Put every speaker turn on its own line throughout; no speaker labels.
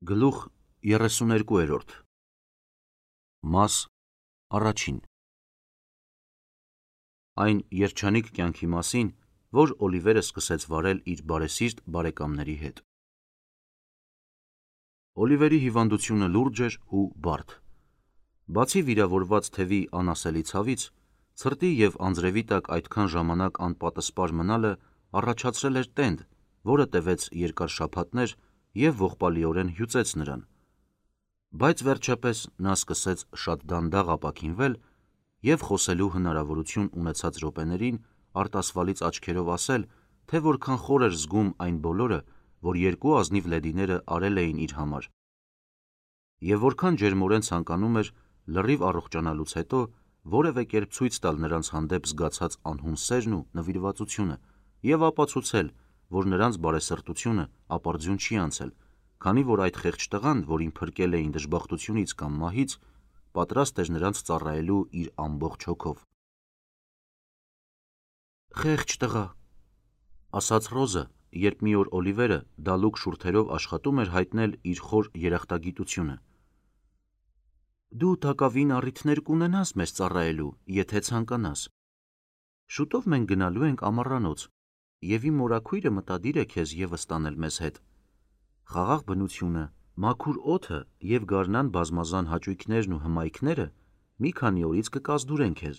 Գլուխ 32 Մաս առաջին Այն երջանիկ կյանքի մասին, որ Օլիվերը սկսեց վարել իր բարեսիրտ բարեկամների հետ։ Օլիվերի հիվանդությունը լուրջ էր ու բարդ։ Բացի վիրավորված թևի անասելի ցավից, ցրտի և անձրևի տակ այդքան ժամանակ անպատսպար մնալը առաջացրել էր տենդ, որը տևեց երկար շաբաթներ և ողբալիորեն հյուծեց նրան։ Բայց վերջապես նա սկսեց շատ դանդաղ ապաքինվել և խոսելու հնարավորություն ունեցած րոպեներին արտասվալից աչքերով ասել, թե որքան խոր էր զգում այն բոլորը, որ երկու ազնիվ լեդիները արել էին իր համար, և որքան ջերմորեն ցանկանում էր լրիվ առողջանալուց հետո որևէ կերպ ցույց տալ նրանց հանդեպ զգացած անհուն սերն ու նվիրվածությունը և ապացուցել, որ նրանց բարեսրտությունը ապարդյուն չի անցել, քանի որ այդ խեղճ տղան, որին փրկել էին դժբախտությունից կամ մահից, պատրաստ էր նրանց ծառայելու իր ամբողջ հոգով։ «Խեղճ տղա», ասաց Ռոզը, երբ մի օր Օլիվերը դալուկ շուրթերով աշխատում էր հայտնել իր խոր երախտագիտությունը։ «Դու տակավին առիթներ կունենաս մեզ ծառայելու, եթե ցանկանաս։ Շուտով մենք գնալու ենք ամառանոց, և իմ մորաքույրը մտադիր է քեզ ևս տանել մեզ հետ։ Խաղաղ բնությունը, մաքուր օդը և գարնան բազմազան հաճույքներն ու հմայքները մի քանի օրից կկազդուրեն քեզ,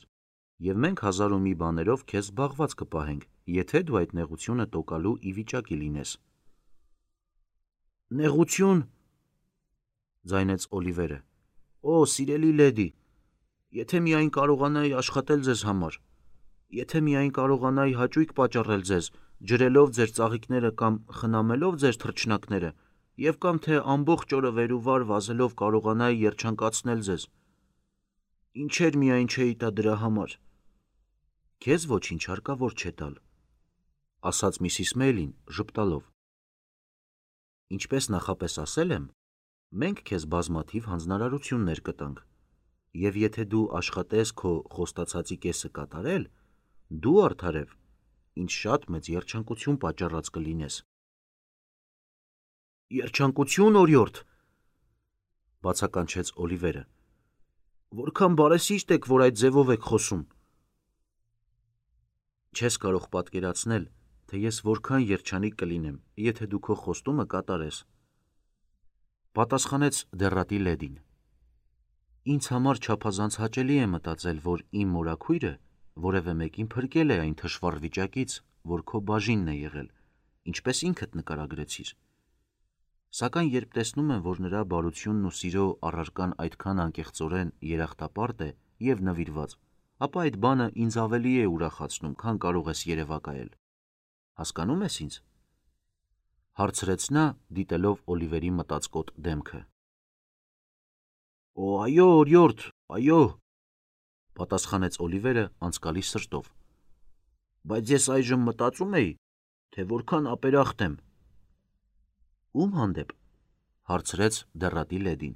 և մենք հազար ու մի բաներով քեզ զբաղված կպահենք, եթե դու այդ նեղությունը տոկալու ի վիճակի լինես»։ «Նեղություն», ձայնեց Օլիվերը։ «Օ, սիրելի լեդի, եթե միայն կարողանայի աշխատել ձեզ համար, եթե միայն կարողանայի հաճույք պատճառել ձեզ, ջրելով ձեր ծաղիկները կամ խնամելով ձեր թռչնակները, և կամ թե ամբողջ օրը վեր ու վար վազելով կարողանայի երջանկացնել ձեզ, ինչեր միայն չէի տա դրա համար»։ «Քեզ ոչինչ հարկավոր չէ տալ», ասաց միսիս Մեյլին ժպտալով։ «Ինչպես նախապես ասել եմ, մենք քեզ բազմաթիվ հանձնարարություններ կտանք, և եթե դու աշխատես քո խոստացածի կեսը կատարել, դու արդարև ինձ շատ մեծ երջանկություն պատճառած կլինես»։ «Երջանկություն, օրիորդ», բացականչեց Օլիվերը։ «Որքան բարեսիրտ եք, որ այդ ձևով եք խոսում»։ Չես կարող պատկերացնել, թե ես որքան երջանիկ կլինեմ, եթե դու քո խոստումը կատարես, պատասխանեց դեռատի լեդին։ Ինձ համար չափազանց հաճելի է մտածել, որ իմ մորաքույրը որևէ մեկին փրկել է այն թշվառ վիճակից, որ քո բաժինն է եղել, ինչպես ինքդ նկարագրեցիր։ Սակայն երբ տեսնում եմ, որ նրա բարությունն ու սիրո առարկան այդքան անկեղծորեն երախտապարտ է և նվիրված, ապա այդ բանը ինձ ավելի է ուրախացնում, քան կարող ես երևակայել։ Հասկանո՞ւմ ես ինձ, հարցրեց նա, դիտելով Օլիվերի մտածկոտ դեմքը։ Օ, այո, օրիորդ, այո, պատասխանեց Օլիվերը անցկալի սրտով։ Բայց ես այժմ մտածում էի, թե որքան ապերախտ եմ։ Ում հանդեպ, հարցրեց դեռատի լեդին։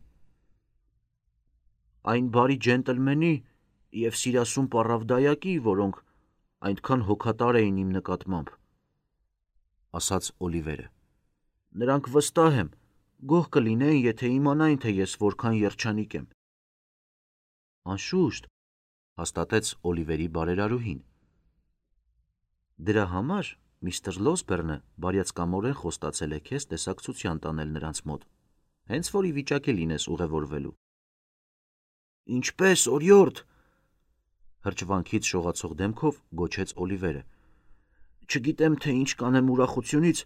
Այն բարի ջենտլմենի և սիրասուն պառավդայակի, որոնք այնքան հոգատար էին իմ նկատմամբ, ասաց Օլիվերը։ Նրանք, վստահ եմ, գոհ կլինեին, եթե իմանային, թե ես որքան երջանիկ եմ։ Անշուշտ, հաստատեց Օլիվերի բարերարուհին։ Դրա համար միստր Լոսբերնը բարյացկամորեն խոստացել է քեզ տեսակցության տանել նրանց մոտ, հենց որ ի վիճակի լինես ուղևորվելու։ Ինչպե՞ս, օրիորդ, հրճվանքից շողացող դեմքով գոչեց Օլիվերը։ Չգիտեմ, թե ինչ կանեմ ուրախությունից,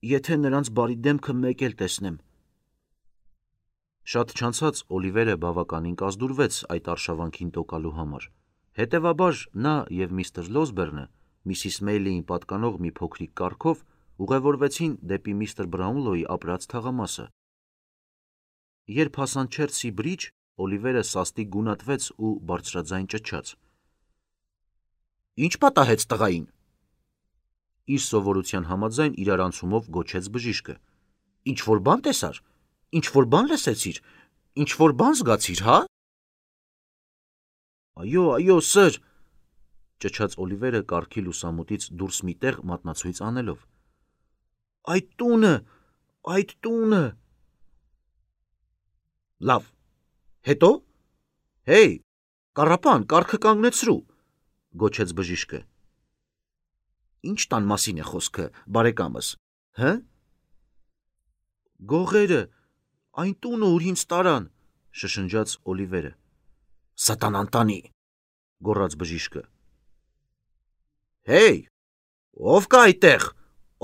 եթե նրանց բարի դեմքը մեկ էլ տեսնեմ։ Շատ չանցած Օլիվերը բավականին կազդուրվեց այդ արշավանքին տոկալու համար, հետևաբար նա և միստր Լոսբերնը միսիս Մեյլիին պատկանող մի փոքրիկ կառքով ուղևորվեցին դեպի միստր Բրաունլոյի ապրած թաղամասը։ Երբ հասան Չելսի Բրիջ, Օլիվերը սաստիկ գունատվեց ու բարձրաձայն ճչաց. Ինչ պատահեց տղային։ Իր սովորության համաձայն իրարանցումով գոչեց բժիշկը։ Ինչ-որ բան տեսար, ինչ-որ բան լսեցիր, ինչ-որ բան զգացիր, հա։ Այո, այո, սըր, ճչաց Օլիվերը կառքի լուսամուտից դուրս մի տեղ մատնացույց անելով։ Այդ տունը, այդ տունը, Լավ, հետո։ Հեյ, կառապան, կառքը կանգնեցրու, գոչեց բժիշկը։ Ինչ տան մասին է խոսքը, բարեկամս, հը։ Գողերը, այն տունը, ուր ինձ տարան, շշնջաց Օլիվերը։ Սատանան տանի, գոռաց բժիշկը։ Հեյ, ով կա այդտեղ,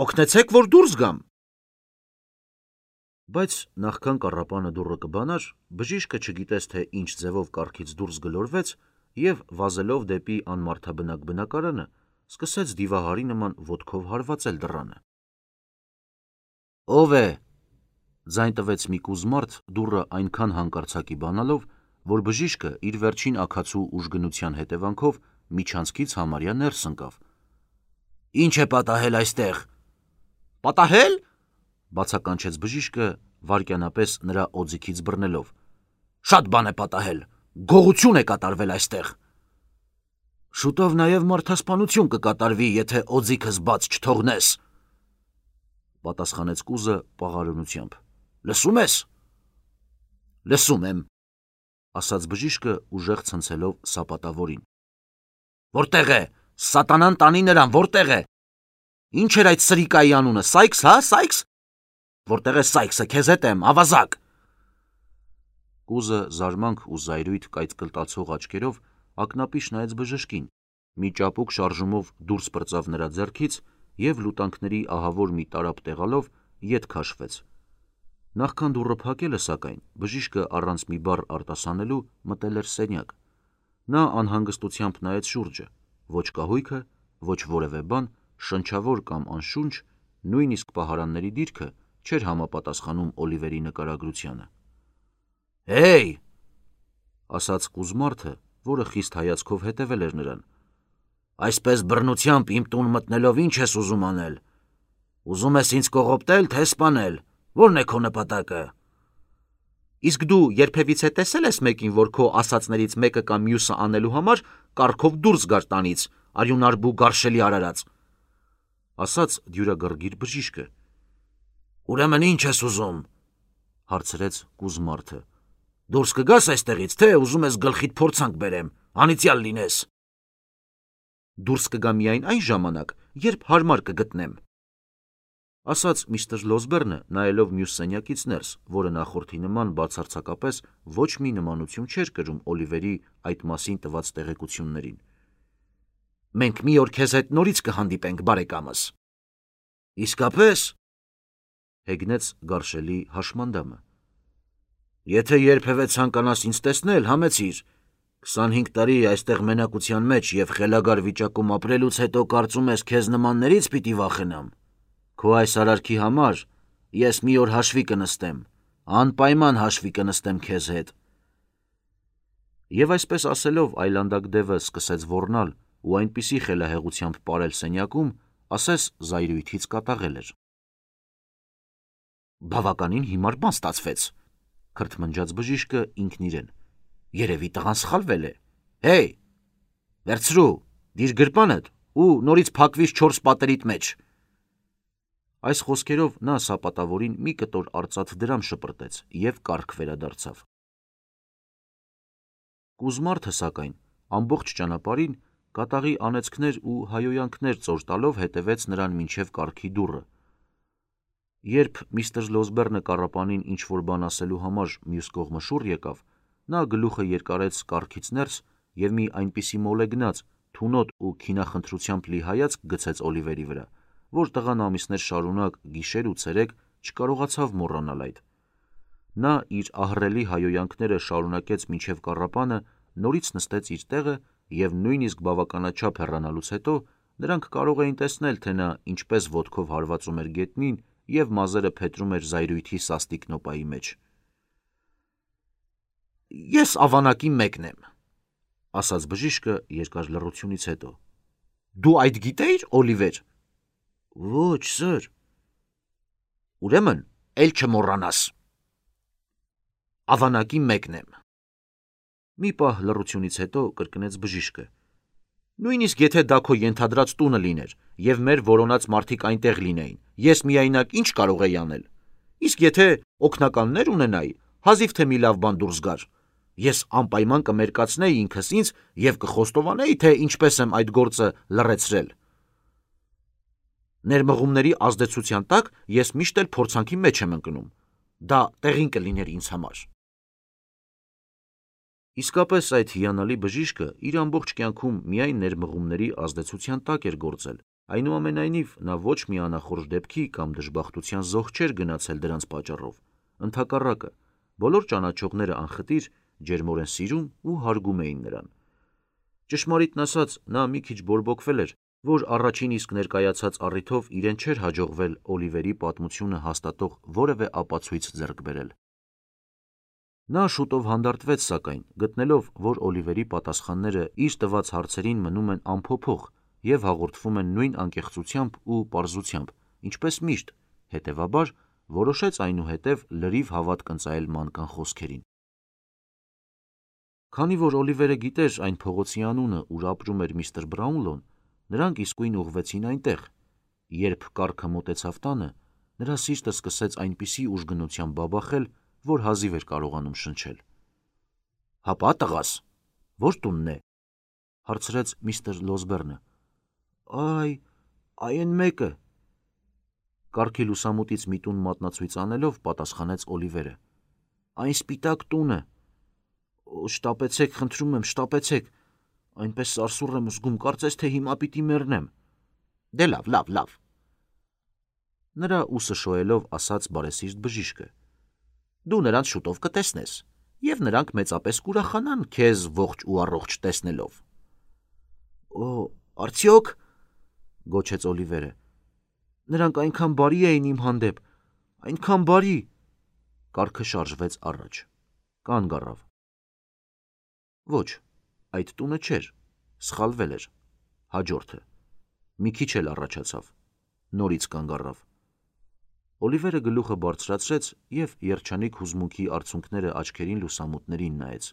օգնեցեք, որ դուրս գամ։ Բայց նախքան կառապանը դուռը կբանար, բժիշկը չգիտես թե ինչ ձևով կառքից դուրս գլորվեց և վազելով դեպի անմարդաբնակ բնակարանը, սկսեց դիվահարի նման ոտքով հարվածել դռանը։ Ո՞վ է, ձայն տվեց մի կուզմարդ դուռը այնքան հանկարծակի բանալով, որ բժիշկը իր վերջին աքացու ուժգնության հետևանքով միջանցքից համարյա ներս ընկավ։ Ինչ է պատահել այստեղ։ Պատահել, բացականչեց բժիշկը վայրկյանապես նրա օձիքից բռնելով։ Շատ բան է պատահել, գողություն է կատարվել այստեղ։ Շուտով նաև մարդասպանություն կկատարվի, եթե օձիքս բաց չթողնես, պատասխանեց կուզը պաղարունությամբ։ Լսում ես։ Լսում եմ, ասաց բժիշկը ուժեղ ցնցելով սապատավորին։ Որտեղ է, սատանան տանի նրան, որտեղ է։ Ինչ էր այդ սրիկայի անունը, Սայքս, հա, Սայքս։ Որտեղ է Սայքսը, քեզ հետ եմ, ավազակ։ Կուզը զարմանք ու զայրույթ կայծկլտացող աչքերով ակնապիշ նայեց բժշկին, մի ճապուկ շարժումով դուրս պրծավ նրա ձեռքից և լուտանքների ահավոր մի տարապ տեղալով ետ քաշվեց։ Նախքան դուռը փակելը, սակայն, բժիշկը առանց մի բառ արտասանելու մտել էր սենյակ։ Նա անհանգստությամբ նայեց շուրջը, ոչ կահույքը, ոչ որևէ բան, շնչավոր կամ անշունչ, նույնիսկ պահարանների դիրքը չէր համապատասխանում Օլիվերի նկարագրությանը։ Հեյ, ասաց կուզմարդը, որը խիստ հայացքով հետևել էր նրան։ Այսպես բռնությամբ իմ տուն մտնելով ինչ ես ուզում անել։ Ուզում ես ինձ կողոպտել, թե սպանել, որն է քո նպատակը։ Իսկ դու երբևիցե տեսել ես մեկին, որ քո ասածներից մեկը կամ մյուսը անելու համար կառքով դուրս գար տանից, արյունարբու գարշելի արարած, ասաց դյուրագռգիր բժիշկը։ Ուրեմն ինչ ես ուզում, հարցրեց կուզմարդը։ Դուրս կգաս այստեղից, թե ուզում ես գլխիդ փորձանք բերեմ, անիծյալ լինես։ Դուրս կգա միայն այն ժամանակ, երբ հարմար կգտնեմ, ասաց միստր Լոզբերնը, նայելով մյուս սենյակից ներս, որը նախորդի նման բացարձակապես ոչ մի նմանություն չէր կրում Օլիվերի այդ մասին տված տեղեկություններին։ Մենք մի օր քեզ հետ նորից կհանդիպենք, բարեկամս։ Իսկապես, հեգնեց գարշելի հաշմանդամը։ Եթե երբևէ ցանկանաս ինձ տեսնել, համեցիր։ 25 տարի այստեղ մենակության մեջ և խելագար վիճակում ապրելուց հետո կարծում ես քեզ նմաններից պիտի վախենամ։ Քո այս արարքի համար ես մի օր հաշվի կնստեմ, անպայման հաշվի կնստեմ քեզ հետ։ Եվ այսպես ասելով այլանդակ դևը սկսեց ոռնալ ու այնպիսի խելահեղությամբ պարել սենյակում, ասես զայրույթից կատաղել էր։ Բավականին հիմար բան ստացվեց, քրթմնջաց բժիշկը ինքն իրեն։ Երևի տղան սխալվել է։ Հեյ, վերցրու, դիր գրպանդ ու նորից փակվիր 4 պատերիդ մեջ։ Այս խոսքերով նա սապատավորին մի կտոր արծաթ դրամ շպրտեց և կառք վերադարձավ։ Կուզմարդը, սակայն, ամբողջ ճանապարհին կատաղի անեծքներ ու հայոյանքներ ծոր տալով հետևեց նրան մինչև կառքի դուռը։ Երբ միստր Լոզբերնը կառապանին ինչ-որ բան ասելու համար մյուս կողմը շուռ եկավ, նա գլուխը երկարեց կառքից ներս և մի այնպիսի մոլեգնած, թունոտ ու քինախնդրությամբ լի հայացք գցեց Օլիվերի վրա, որ տղան ամիսներ շարունակ գիշեր ու ցերեկ չկարողացավ մոռանալ այդ։ Նա իր ահռելի հայոյանքները շարունակեց մինչև կառապանը նորից նստեց իր տեղը և նույնիսկ բավականաչափ հեռանալուց հետո նրանք կարող էին տեսնել, թե նա ինչպես ոտքով հարվածում էր գետնին և մազերը փետրում էր զայրույթի սաստիկ նոպայի մեջ։ Ես ավանակի մեկն եմ, ասաց բժիշկը երկար լռությունից հետո։ Դու այդ գիտեիր, Օլիվեր։ Ոչ, սըր։ Ուրեմն, էլ չմոռանաս։ Ավանակի մեկն եմ։ Մի պահ լռությունից հետո կրկնեց բժիշկը։ Նույնիսկ եթե դա քո ենթադրած տունը լիներ և մեր որոնած մարդիկ այնտեղ լինեին, ես միայնակ ինչ կարող էի անել։ Իսկ եթե օգնականներ ունենայի, հազիվ թե մի լավ բան դուրս գար։ Ես անպայման կմերկացնեի ինքս ինձ և կխոստովանեի, թե ինչպես եմ այդ գործը լռեցրել։ Ներմղումների ազդեցության տակ ես միշտ էլ փորձանքի մեջ եմ ընկնում։ Դա տեղին կլիներ ինձ համար։ Իսկապես այդ հիանալի բժիշկը իր ամբողջ կյանքում միայն ներմղումների ազդեցության տակ էր գործել, այնուամենայնիվ նա ոչ մի անախորժ դեպքի կամ դժբախտության զոհ չէր գնացել դրանց պատճառով, ընդհակառակը, բոլոր ճանաչողները անխտիր ջերմորեն սիրում ու հարգում էին նրան։ Ճշմարիտն ասած, նա մի քիչ բորբոքվել էր, որ առաջին իսկ ներկայացած առիթով իրեն չէր հաջողվել Օլիվերի պատմությունը հաստատող որևէ ապացույց ձեռք բերել։ Նա շուտով հանդարտվեց, սակայն, գտնելով, որ Օլիվերի պատասխանները իր տված հարցերին մնում են անփոփոխ և հաղորդվում են նույն անկեղծությամբ ու պարզությամբ, ինչպես միշտ, հետևաբար որոշեց այնուհետև լրիվ հավատք ընծայել մանկան խոսքերին։ Քանի որ Օլիվերը գիտեր այն փողոցի անունը, ուր ապրում էր միստր Բրաունլոն, նրանք իսկույն ուղղվեցին այնտեղ։ Երբ կառքը մոտեցավ տանը, նրա սիրտը սկսեց այնպիսի ուժգնությամբ բաբախել, որ հազիվ էր կարողանում շնչել։ «Հապա, տղաս, ո՞ր տունն է», հարցրեց միստր Լոսբերնը։ Այ էն մեկը, կառքի լուսամուտից մի տուն մատնացույց անելով պատասխանեց Օլիվերը։ Այն սպիտակ տունը։ Շտապեցեք, խնդրում եմ, շտապեցեք, այնպես սարսուռ եմ զգում, կարծես թե հիմա պիտի մեռնեմ։ Դե լավ։ Նրա ուսը շոյելով ասաց բարեսիրտ բժիշկը։ Դու նրանց շուտով կտեսնես, և նրանք մեծապես կուրախանան քեզ ողջ ու առողջ տեսնելով։ Արդյոք, գոչեց Օլիվերը, նրանք այնքան բարի էին իմ հանդեպ, այնքան բարի։ Կառքը շարժվեց առաջ, կանգ առավ։ Ոչ, այդ տունը չէր, սխալվել էր, հաջորդը, մի քիչ էլ առաջացավ, նորից կանգ առավ։ Օլիվերը գլուխը բարձրացրեց և երջանիկ հուզմունքի արցունքները աչքերին լուսամուտներին նայեց։